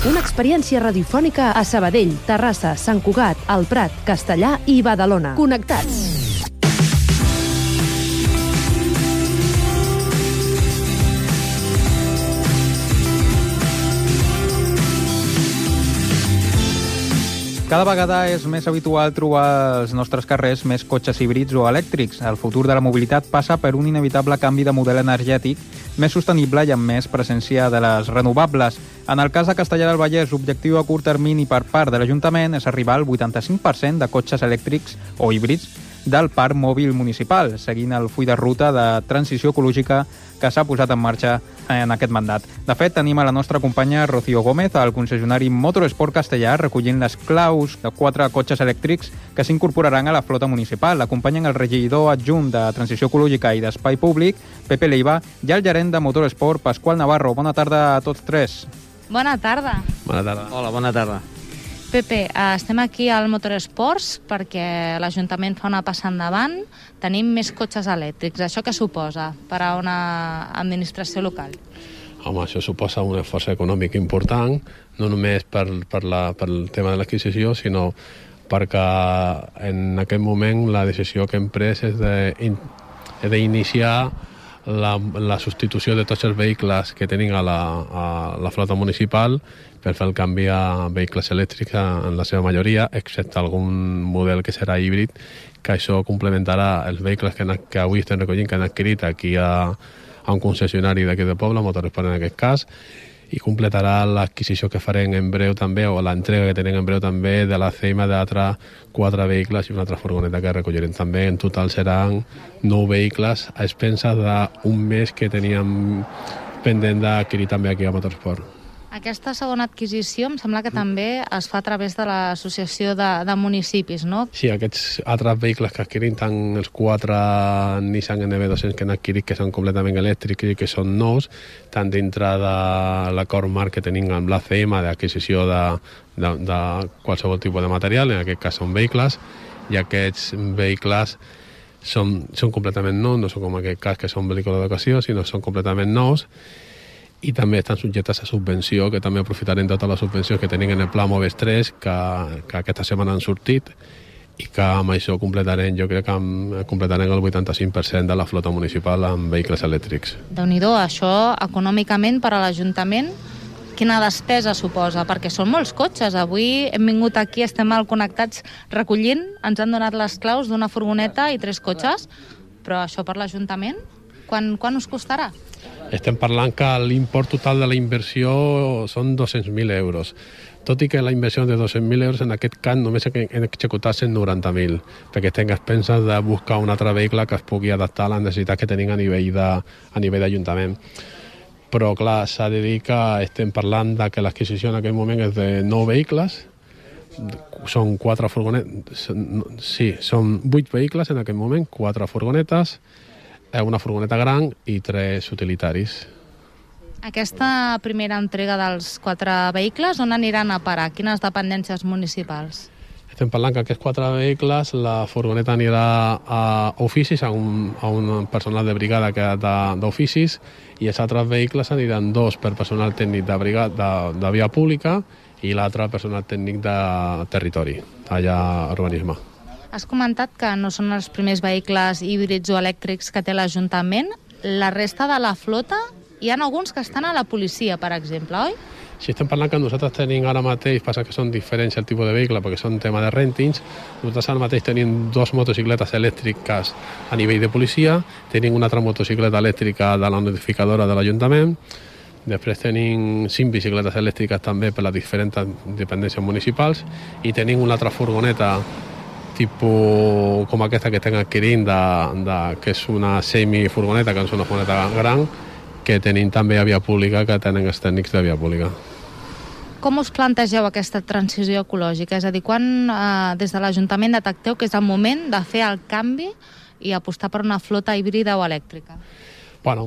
Una experiència radiofònica a Sabadell, Terrassa, Sant Cugat, El Prat, Castellar i Badalona. Connectats. Cada vegada és més habitual trobar als nostres carrers més cotxes híbrids o elèctrics. El futur de la mobilitat passa per un inevitable canvi de model energètic més sostenible i amb més presència de les renovables. En el cas de Castellar del Vallès, l'objectiu a curt termini per part de l'Ajuntament és arribar al 85% de cotxes elèctrics o híbrids del parc mòbil municipal, seguint el full de ruta de transició ecològica que s'ha posat en marxa en aquest mandat. De fet, tenim a la nostra companya Rocío Gómez, al concessionari Motorsport Castellar, recollint les claus de 4 cotxes elèctrics que s'incorporaran a la flota municipal. L'acompanyen el regidor adjunt de Transició Ecològica i d'Espai Públic, Pepe Leiva, i el gerent de Motorsport, Pasqual Navarro. Bona tarda a tots tres. Bona tarda. Bona tarda. Hola, bona tarda. Pepe, estem aquí al Motorsports perquè l'Ajuntament fa una passa endavant. Tenim més cotxes elèctrics. Això què suposa per a una administració local? Home, això suposa un esforç econòmic important, no només pel tema de l'adquisició, sinó perquè en aquest moment la decisió que hem pres és d'iniciar la substitució de tots els vehicles que tenim a la flota municipal per fer el canvi a vehicles elèctrics en la seva majoria, excepte algun model que serà híbrid, que això complementarà els vehicles que avui estem recollint, que han adquirit aquí a un concessionari d'aquí del poble, Motorsport en aquest cas, i completarà l'adquisició que farem en breu també, o l'entrega que tenim en breu també, de la CEIMA d'altres 4 vehicles i una altra furgoneta que recollirem també. En total seran 9 vehicles a expenses d'un mes que teníem pendent d'adquirir també aquí a Motorsport. Aquesta segona adquisició em sembla que també es fa a través de l'associació de municipis, no? Sí, aquests altres vehicles que adquirim, tant els 4 Nissan NV200 que han adquirit, que són completament elèctrics i que són nous, tant dintre de l'acord marc que tenim amb l'ACM d'adquisició de qualsevol tipus de material, en aquest cas són vehicles, i aquests vehicles són completament nous, no són com en aquest cas que són vehicles d'ocasió, sinó són completament nous, i també estan subjectes a subvenció, que també aprofitarem totes les subvencions que tenim en el Pla Moves 3, que aquesta setmana han sortit, i que amb això completarem, jo crec que completarem el 85% de la flota municipal amb vehicles elèctrics. Déu-n'hi-do, això econòmicament per a l'Ajuntament, quina despesa suposa? Perquè són molts cotxes. Avui hem vingut aquí, estem mal connectats recollint, ens han donat les claus d'una furgoneta i 3 cotxes, però això per l'Ajuntament, quan us costarà? Estem parlant que l'import total de la inversió són 200.000 euros. Tot i que la inversió de 200.000 euros en aquest cas només hem executat 190.000, perquè estem expenses de buscar un altre vehicle que es pugui adaptar a les necessitats que tenim a nivell d'Ajuntament. Però clar, s'ha de dir que estem parlant de que l'adquisició en aquest moment és de 9 vehicles, són 4 furgonetes, sí, són 8 vehicles en aquest moment, 4 furgonetes, una furgoneta gran i 3 utilitaris. Aquesta primera entrega dels 4 vehicles, on aniran a parar? Quines dependències municipals? Estem parlant que aquests 4 vehicles, la furgoneta anirà a oficis, a un personal de brigada d'oficis, i els altres vehicles aniran 2 per personal tècnic de via pública i l'altre personal tècnic de territori, allà a urbanisme. Has comentat que no són els primers vehicles híbrids o elèctrics que té l'Ajuntament. La resta de la flota, hi ha alguns que estan a la policia, per exemple, oi? Si estem parlant que nosaltres tenim ara mateix, passa que són diferents el tipus de vehicle perquè són tema de rèntings, nosaltres ara mateix tenim 2 motocicletes elèctriques a nivell de policia, tenim una altra motocicleta elèctrica de la notificadora de l'Ajuntament, després tenim 5 bicicletes elèctriques també per les diferents dependències municipals i tenim una altra furgoneta tipus com aquesta que estem adquirint, que és una semifurgoneta, que és una furgoneta gran, que tenim també a via pública, que tenen els tècnics de via pública. Com us plantegeu aquesta transició ecològica? És a dir, quan des de l'Ajuntament detecteu que és el moment de fer el canvi i apostar per una flota híbrida o elèctrica? Bueno,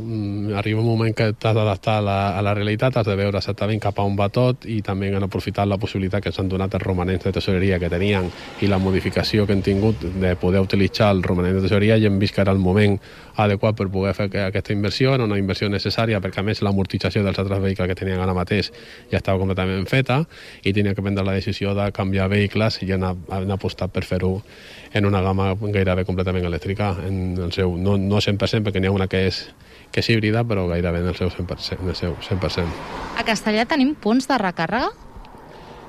arriba un moment que t'has d'adaptar a la realitat, has de veure exactament cap a on va tot i també han aprofitat la possibilitat que s'han donat els romanents de tesoreria que tenien i la modificació que han tingut de poder utilitzar el romanent de tesoreria i hem vist que era el moment adequat per poder fer aquesta inversió. Era una inversió necessària perquè a més l'amortització dels altres vehicles que tenien ara mateix ja estava completament feta i tenia que prendre la decisió de canviar vehicles i han apostat per fer-ho en una gamma gairebé completament elèctrica, en el seu, no 100%, perquè n'hi ha una que és híbrida, però gairebé en el seu 100%. A Castellà tenim punts de recàrrega?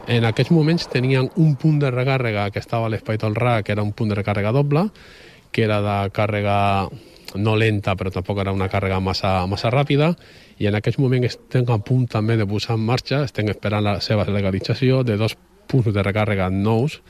En aquests moments tenien un punt de recàrrega que estava a l'Espai Tolrà, que era un punt de recàrrega doble, que era de càrrega no lenta, però tampoc era una càrrega massa ràpida, i en aquests moments estem a punt també de posar en marxa, estem esperant la seva legalització de 2 punts de recàrrega nous,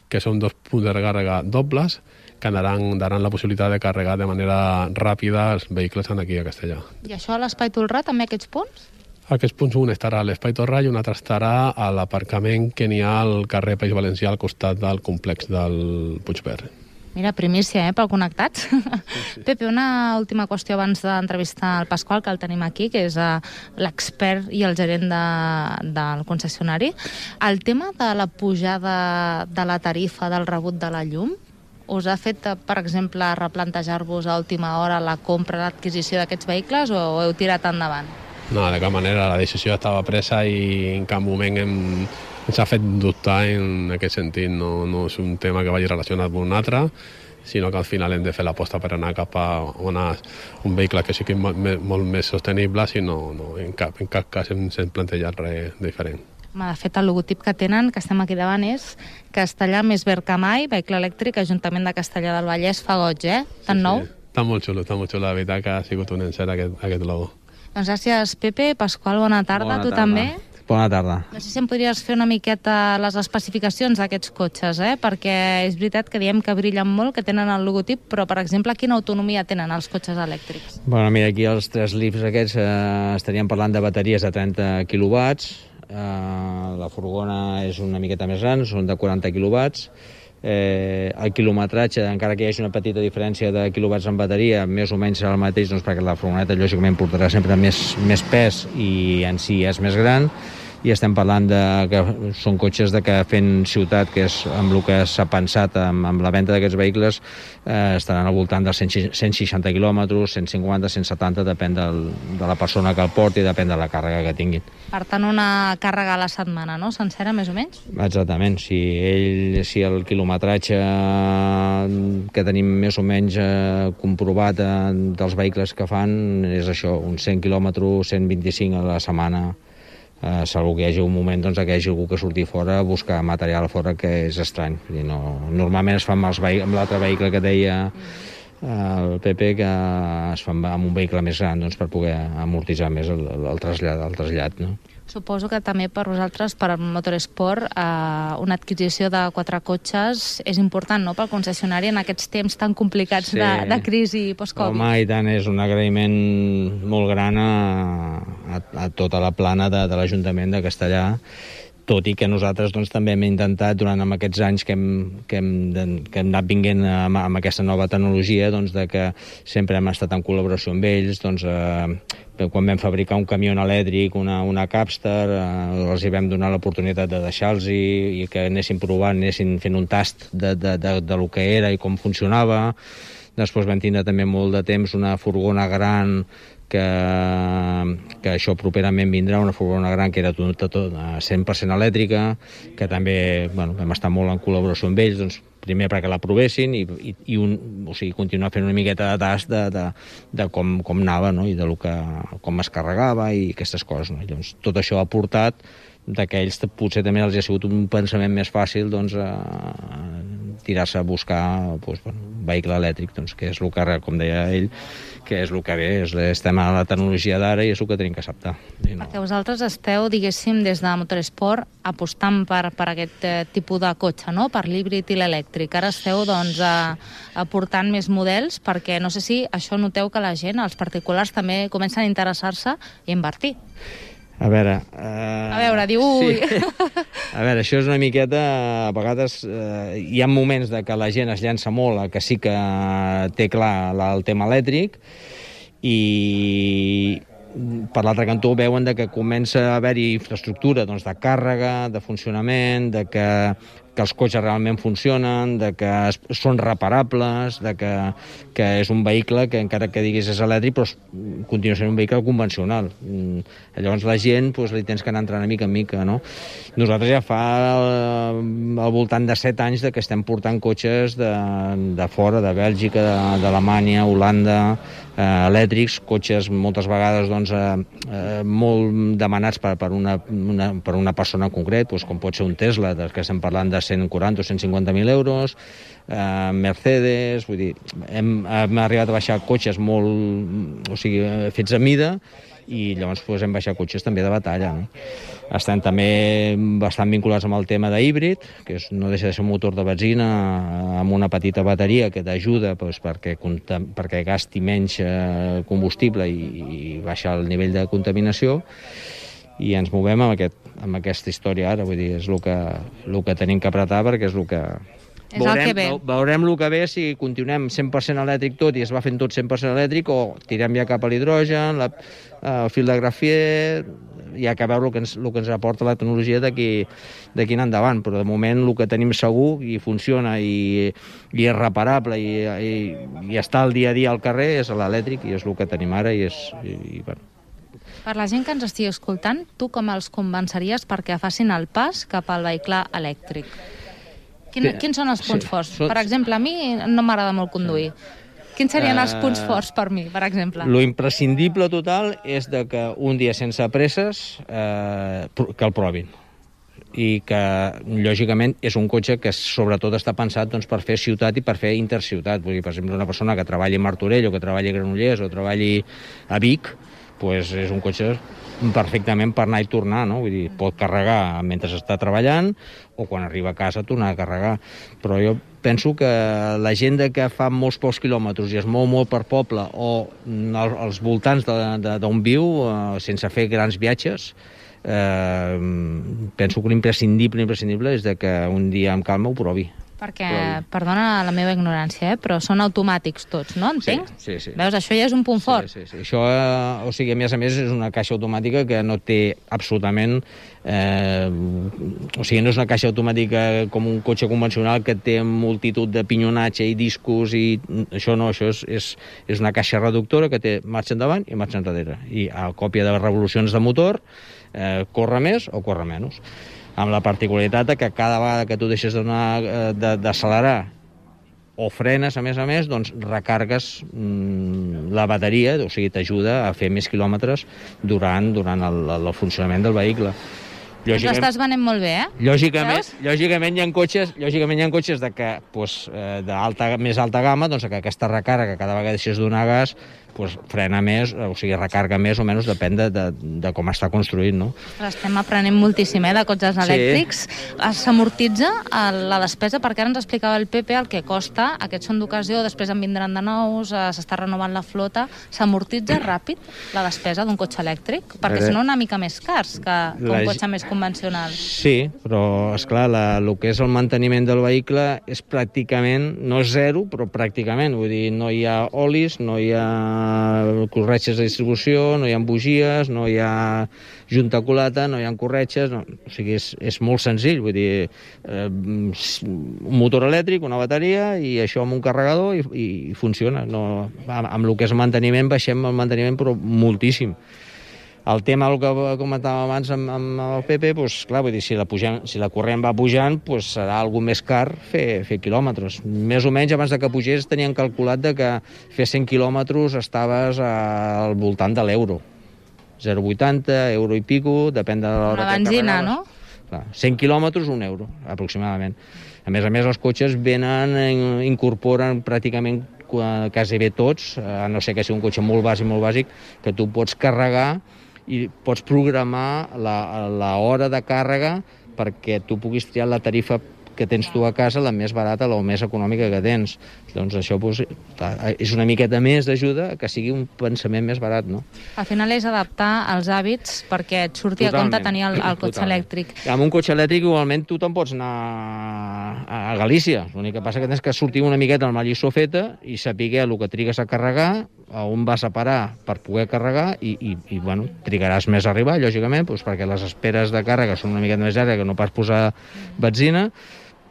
que són 2 punts de recàrrega dobles, que daran la possibilitat de carregar de manera ràpida els vehicles aquí a Castellà. I això a l'Espai Tolrà, també aquests punts? Aquests punts, un estarà a l'Espai Tolrà i un altre estarà a l'aparcament que n'hi ha al carrer País Valencià al costat del complex del Puigverd. Mira, primícia, pel Connectats. Sí. Pepe, una última qüestió abans d'entrevistar el Pasqual, que el tenim aquí, que és l'expert i el gerent del concessionari. El tema de la pujada de la tarifa del rebut de la llum us ha fet, per exemple, replantejar-vos a última hora la compra, l'adquisició d'aquests vehicles o heu tirat endavant? No, de cap manera. La decisió estava presa i en cap moment ens ha fet dubtar en aquest sentit. No és un tema que vagi relacionat amb un altre, sinó que al final hem de fer l'aposta per anar cap a un vehicle que sigui molt més sostenible, sinó en cap cas hem plantejat res diferent. De fet, el logotip que tenen, que estem aquí davant, és Castellà més verd que mai, vehicle elèctric, Ajuntament de Castellà del Vallès, fa goig, Tan nou? Està molt xulo, la veritat que ha sigut un encert aquest logo. Doncs gràcies, Pepe. Pasqual, bona tarda. Tu també? Bona tarda. No sé si em podries fer una miqueta les especificacions d'aquests cotxes, perquè és veritat que diem que brillen molt, que tenen el logotip, però, per exemple, quina autonomia tenen els cotxes elèctrics? Bueno, mira, aquí els 3 Leafs aquests estaríem parlant de bateries de 30 quilowatts, la furgona és una miqueta més gran, són de 40 quilowatts, el quilometratge, encara que hi hagi una petita diferència de quilowatts en bateria, més o menys serà el mateix, doncs, perquè la furgoneta lògicament portarà sempre més pes i en si és més gran, i estem parlant que són cotxes que fent ciutat, que és amb el que s'ha pensat amb la venda d'aquests vehicles, estaran al voltant dels 160 quilòmetres, 150, 170, depèn de la persona que el porti i depèn de la càrrega que tinguin. Per tant, una càrrega a la setmana, no? Sencera, més o menys? Exactament. Si el quilometratge que tenim més o menys comprovat dels vehicles que fan és això, uns 100 quilòmetres, 125 a la setmana, salvo que hi hagi un moment que hi hagi algú que surti fora a buscar material fora, que és estrany. Normalment es fa amb l'altre vehicle que deia el Pepe, que es fa amb un vehicle més gran per poder amortitzar més el trasllat. No? Suposo que també per vosaltres, per Motorsport, una adquisició de 4 cotxes és important, no?, pel concessionari en aquests temps tan complicats de crisi post-Covid. Home, i tant, és un agraïment molt gran a tota la plana de l'Ajuntament de Castellà, tot i que nosaltres també hem intentat, durant aquests anys que hem anat vinguent amb aquesta nova tecnologia, de que sempre hem estat en col·laboració amb ells, quan vam fabricar un camió elèctric, una Capstar, els hi vam donar l'oportunitat de deixar-los i que anessin provant, anessin fent un tast de lo que era i com funcionava. Després vam tindre també molt de temps una furgona gran que això properament vindrà, una furgona gran que era tot 100% elèctrica, que també vam estar molt en col·laboració amb ells, primer perquè la provessin i continuar fent una miqueta de tast de com anava, no? I com es carregava i aquestes coses. No? Llavors, tot això ha portat que ells potser també els ha sigut un pensament més fàcil tirar-se a buscar un vehicle elèctric, que és el que, com deia ell, que és el que ve, estem a la tecnologia d'ara i és el que tenim que acceptar. Perquè vosaltres esteu, diguéssim, des de Motorsport apostant per aquest tipus de cotxe, no?, per l'híbrid i l'elèctric. Ara esteu, aportant més models, perquè no sé si això noteu que la gent, els particulars, també comencen a interessar-se i invertir. A veure, diu... Ui. Sí. A veure, això és una miqueta... A vegades hi ha moments que la gent es llença molt a que sí que té clar el tema elèctric i per l'altre cantó veuen que comença a haver-hi infraestructura de càrrega, de funcionament, que els cotxes realment funcionen, que són reparables, que és un vehicle que encara que diguis és elèctric, però continua sent un vehicle convencional. Llavors la gent li tens que anar entrant mica en mica, no? Nosaltres ja fa al voltant de 7 anys que estem portant cotxes de fora, de Bèlgica, d'Alemanya, Holanda, elèctrics, cotxes moltes vegades molt demanats per una persona en concret, com pot ser un Tesla, que estem parlant de 140 o 150.000 euros, Mercedes, vull dir, hem arribat a baixar cotxes fets a mida, i llavors hem baixat cotxes també de batalla, no? Estem també bastant vinculats amb el tema d'híbrid, que no deixa de ser un motor de benzina amb una petita bateria que t'ajuda perquè gasti menys combustible i baixa el nivell de contaminació, i ens movem amb aquesta història ara, vull dir, és el que tenim que apretar, perquè és el que... Veurem el que ve, si continuem 100% elèctric tot i es va fent tot 100% elèctric, o tirem ja cap a l'hidrogen, el fil de grafier, hi ha que veure el que ens aporta la tecnologia d'aquí en endavant, però de moment el que tenim segur i funciona i és reparable i està al dia a dia al carrer és l'elèctric, i és el que tenim ara, i bueno. Per la gent que ens estigui escoltant, tu com els convenceries perquè facin el pas cap al vehicle elèctric? Quins són els punts forts? Per exemple, a mi no m'agrada molt conduir. Quins serien els punts forts per mi, per exemple? Lo imprescindible total és que un dia sense presses que el provin. I que, lògicament, és un cotxe que sobretot està pensat per fer ciutat i per fer interciutat. Vull dir, per exemple, una persona que treballi a Martorell o que treballi a Granollers o treballi a Vic, és un cotxe perfectament per anar i tornar, no? Vull dir, pot carregar mentre està treballant o quan arriba a casa tornar a carregar. Però jo penso que la gent que fa molts pocs quilòmetres i es mou molt per poble o als voltants d'on viu, sense fer grans viatges, penso que l'imprescindible és que un dia amb calma ho provi. Perquè, perdona la meva ignorància, però són automàtics tots, no? Entenc? Sí. Veus, això ja és un punt fort. Sí. Això, a més, és una caixa automàtica que no té absolutament... no és una caixa automàtica com un cotxe convencional que té multitud de pinyonatge i discos i això no, això és una caixa reductora que té marxa endavant i marxa enrere. I a còpia de revolucions de motor, corre més o corre menys. Amb la particularitat que cada vegada que tu deixes d'accelerar o frenes, a més, recargues la bateria, o sigui, t'ajuda a fer més quilòmetres durant el funcionament del vehicle. Ens l'estàs venent molt bé, eh? Lògicament hi ha cotxes més alta gamma, que aquesta recàrrega, cada vegada deixes donar gas, frena més, o sigui, recarga més o menys, depèn de com està construït, no? Estem aprenent moltíssim, de cotxes elèctrics. S'amortitza la despesa, perquè ara ens explicava el Pepe el que costa, aquests són d'ocasió, després en vindran de nous, s'està renovant la flota. S'amortitza ràpid la despesa d'un cotxe elèctric? Perquè són una mica més cars que un cotxe més convencional. Sí, però, esclar, el que és el manteniment del vehicle és pràcticament, no és zero, però pràcticament, vull dir, no hi ha olis, no hi ha corretges de distribució, no hi ha bugies, no hi ha junta culata, no hi ha corretges, o sigui, és molt senzill, vull dir, un motor elèctric, una bateria, i això amb un carregador i funciona. Amb el que és manteniment, baixem el manteniment, però moltíssim. El tema, el que comentàvem abans amb el Pepe, clar, vull dir, si la corrent va pujant, serà alguna més car fer quilòmetres. Més o menys, abans que pugés, tenien calculat que fer 100 quilòmetres estaves al voltant de l'euro. 0,80, euro i pico, depèn de l'hora que carregaves. Una benzina, no? Clar, 100 quilòmetres, un euro, aproximadament. A més, els cotxes incorporen pràcticament quasi bé tots, a no ser que sigui un cotxe molt bàsic, que tu pots carregar i pots programar l'hora de càrrega perquè tu puguis triar la tarifa que tens tu a casa, la més barata, la més econòmica que tens. Doncs això és una miqueta més d'ajuda que sigui un pensament més barat, no? Al final és adaptar els hàbits perquè et surti a compte tenir el cotxe elèctric. Amb un cotxe elèctric igualment tu te'n pots anar a Galícia. L'únic que passa que tens que sortir una miqueta amb la lliçó feta i saber el que trigues a carregar, a on vas a parar per poder carregar i bueno, trigaràs més a arribar, lògicament, doncs perquè les esperes de càrrega són una miqueta més llargues que no pas posar benzina,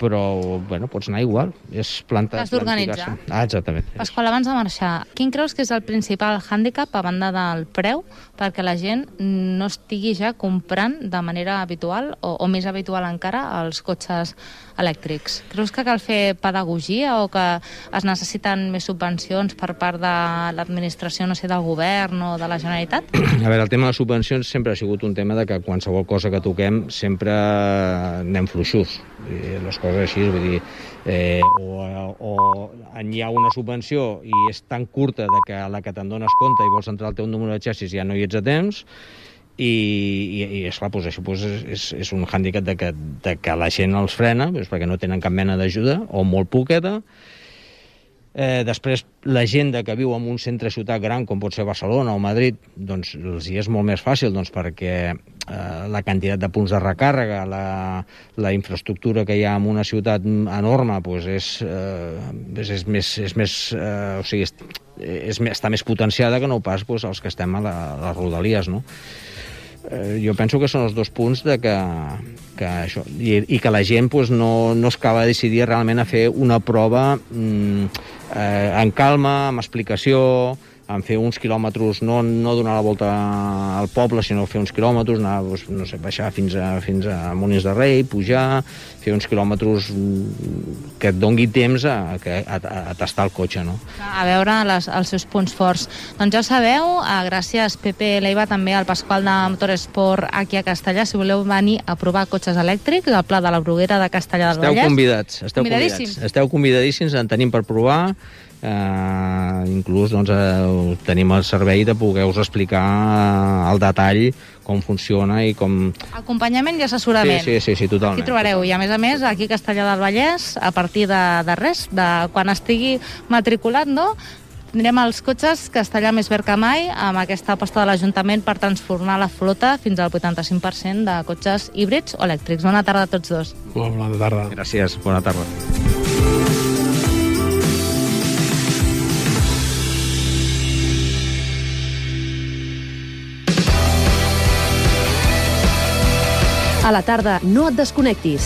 però bueno, pots anar igual. És T'has d'organitzar. Exactament. Pasqual, abans de marxar, quin creus que és el principal hàndicap, a banda del preu, perquè la gent no estigui ja comprant de manera habitual o més habitual encara els cotxes elèctrics? Creus que cal fer pedagogia o que es necessiten més subvencions per part de l'administració, no sé, del govern o de la Generalitat? A veure, el tema de les subvencions sempre ha sigut un tema de que qualsevol cosa que toquem sempre anem fluixos. Les coses així, vull dir, o hi ha una subvenció i és tan curta que a la que te'n dones compte i vols entrar al teu número de xassis ja no hi ets a temps, i esclar, doncs això és un hàndicap de que la gent els frena, perquè no tenen cap mena d'ajuda, o molt poqueta. Després, la gent que viu en un centre de ciutat gran, com pot ser Barcelona o Madrid, doncs els hi és molt més fàcil, doncs, perquè la quantitat de punts de recàrrega, la infraestructura que hi ha en una ciutat enorme, doncs està més potenciada que no pas els que estem a les rodalies, no? Jo penso que són els dos punts de que això, i que la gent no es acaba de decidir realment a fer una prova en calma, amb explicació, en fer uns quilòmetres, no donar la volta al poble, sinó fer uns quilòmetres, anar, no sé, baixar fins a Molins de Rei, pujar, fer uns quilòmetres que et doni temps a tastar el cotxe, no? A veure els seus punts forts. Doncs ja ho sabeu, gràcies Pepe Leiva, també al Pasqual de Motorsport aquí a Castellà, si voleu venir a provar cotxes elèctrics al Pla de la Bruguera de Castellà del Vallès. Esteu convidadíssims, en tenim per provar. Inclús tenim el servei de poder-vos explicar al detall com funciona i com... Acompanyament i assessorament. Sí, totalment. Aquí trobareu, i a més, aquí a Castellà del Vallès, a partir de res, de quan estigui matriculat, no? Tindrem els cotxes Castellà més verd que mai, amb aquesta aposta de l'Ajuntament per transformar la flota fins al 85% de cotxes híbrids o elèctrics. Bona tarda a tots dos. Bona tarda. Gràcies, bona tarda. A la tarda no et desconnectis.